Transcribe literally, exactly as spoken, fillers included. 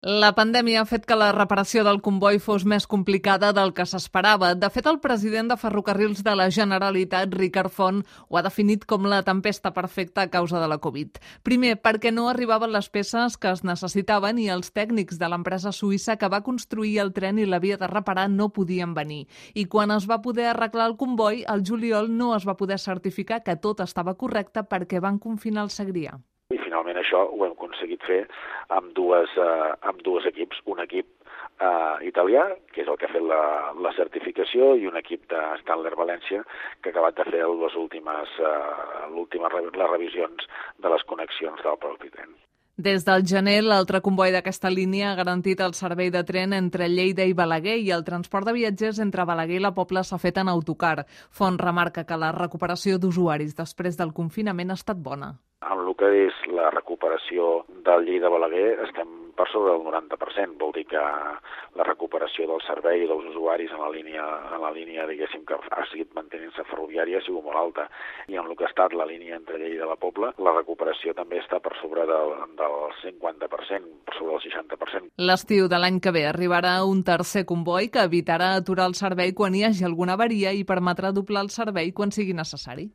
La pandèmia ha fet que la reparació del comboi fos més complicada del que s'esperava. De fet, el president de Ferrocarrils de la Generalitat, Ricard Font, ho ha definit com la tempesta perfecta a causa de la Covid. Primer, perquè no arribaven les peces que es necessitaven i els tècnics de l'empresa suïssa que va construir el tren i l'havia de reparar no podien venir. I quan es va poder arreglar el comboi, al juliol no es va poder certificar que tot estava correcte perquè van confinar el Segrià. I finalment això ho hem aconseguit fer amb dues, eh, amb dos equips. Un equip eh, italià, que és el que ha fet la, la certificació, i un equip de Stadler València, que ha acabat de fer les últimes, eh, l'última, les revisions de les connexions del propi tren. Des del gener, l'altre comboi d'aquesta línia ha garantit el servei de tren entre Lleida i Balaguer i el transport de viatgers entre Balaguer i la Pobla s'ha fet en autocar. Font remarca que la recuperació d'usuaris després del confinament ha estat bona. En el que és la recuperació del Lleida-Balaguer estem per sobre del noranta per cent. Vol dir que la recuperació del servei dels usuaris en la línia, en la línia diguéssim, que ha seguit mantenint-se ferroviària ha sigut molt alta. I en el que ha estat la línia entre Lleida i la Pobla, la recuperació també està per sobre del, del cinquanta per cent, per sobre del seixanta per cent. L'estiu de l'any que ve arribarà un tercer comboi que evitarà aturar el servei quan hi hagi alguna avaria i permetrà doblar el servei quan sigui necessari.